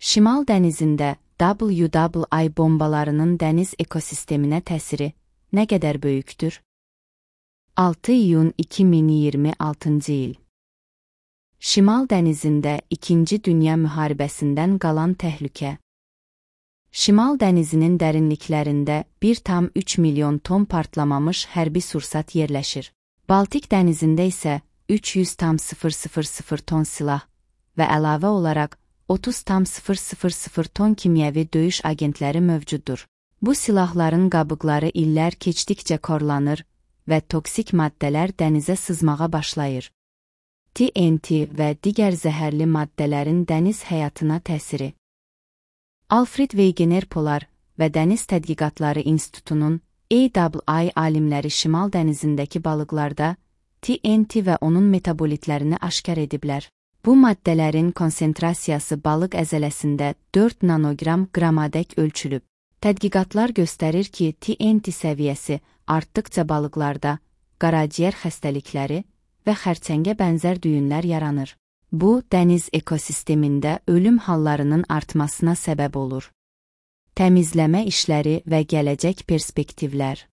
Şimal dənizində WWI bombalarının dəniz ekosisteminə təsiri nə qədər böyükdür? 6 iyun 2026 il. Şimal dənizində 2-ci Dünya müharibəsindən qalan təhlükə. Şimal dənizinin dərinliklərində 1,3 milyon ton partlamamış hərbi sursat yerləşir. Baltik dənizində isə 300,000 ton silah və əlavə olaraq 30,000 ton kimyəvi döyüş agentləri mövcuddur. Bu silahların qabıqları illər keçdikcə korlanır və toksik maddələr dənizə sızmağa başlayır. TNT və digər zəhərli maddələrin dəniz həyatına təsiri. Alfred Wegener Polar və Dəniz Tədqiqatları İnstitutunun AWI alimləri Şimal dənizindəki balıqlarda TNT və onun metabolitlərini aşkar ediblər. Bu maddələrin konsentrasiyası balıq əzələsində 4 nanogram qramadək ölçülüb. Tədqiqatlar göstərir ki, TNT səviyyəsi artdıqca balıqlarda qaraciyər xəstəlikləri və xərçəngə bənzər düyünlər yaranır. Bu, dəniz ekosistemində ölüm hallarının artmasına səbəb olur. Təmizləmə işləri və gələcək perspektivlər.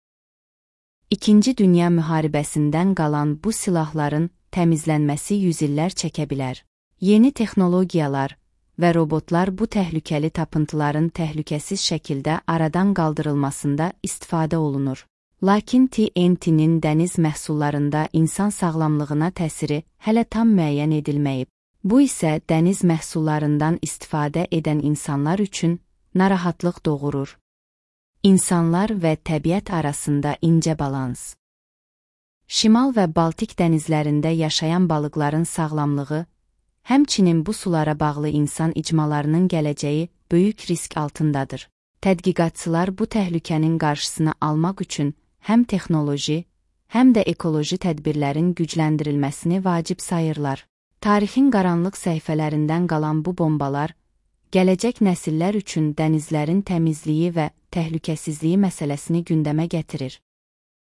İkinci Dünya müharibəsindən qalan bu silahların təmizlənməsi yüzillər çəkə bilər. Yeni texnologiyalar və robotlar bu təhlükəli tapıntıların təhlükəsiz şəkildə aradan qaldırılmasında istifadə olunur. Lakin TNT-nin dəniz məhsullarında insan sağlamlığına təsiri hələ tam müəyyən edilməyib. Bu isə dəniz məhsullarından istifadə edən insanlar üçün narahatlıq doğurur. İnsanlar və təbiət arasında incə balans. Şimal və Baltik dənizlərində yaşayan balıqların sağlamlığı, həmçinin bu sulara bağlı insan icmalarının gələcəyi böyük risk altındadır. Tədqiqatçılar bu təhlükənin qarşısını almaq üçün həm texnoloji, həm də ekoloji tədbirlərin gücləndirilməsini vacib sayırlar. Tarixin qaranlıq səhifələrindən qalan bu bombalar, gələcək nəsillər üçün dənizlərin təmizliyi və təhlükəsizliyi məsələsini gündəmə gətirir.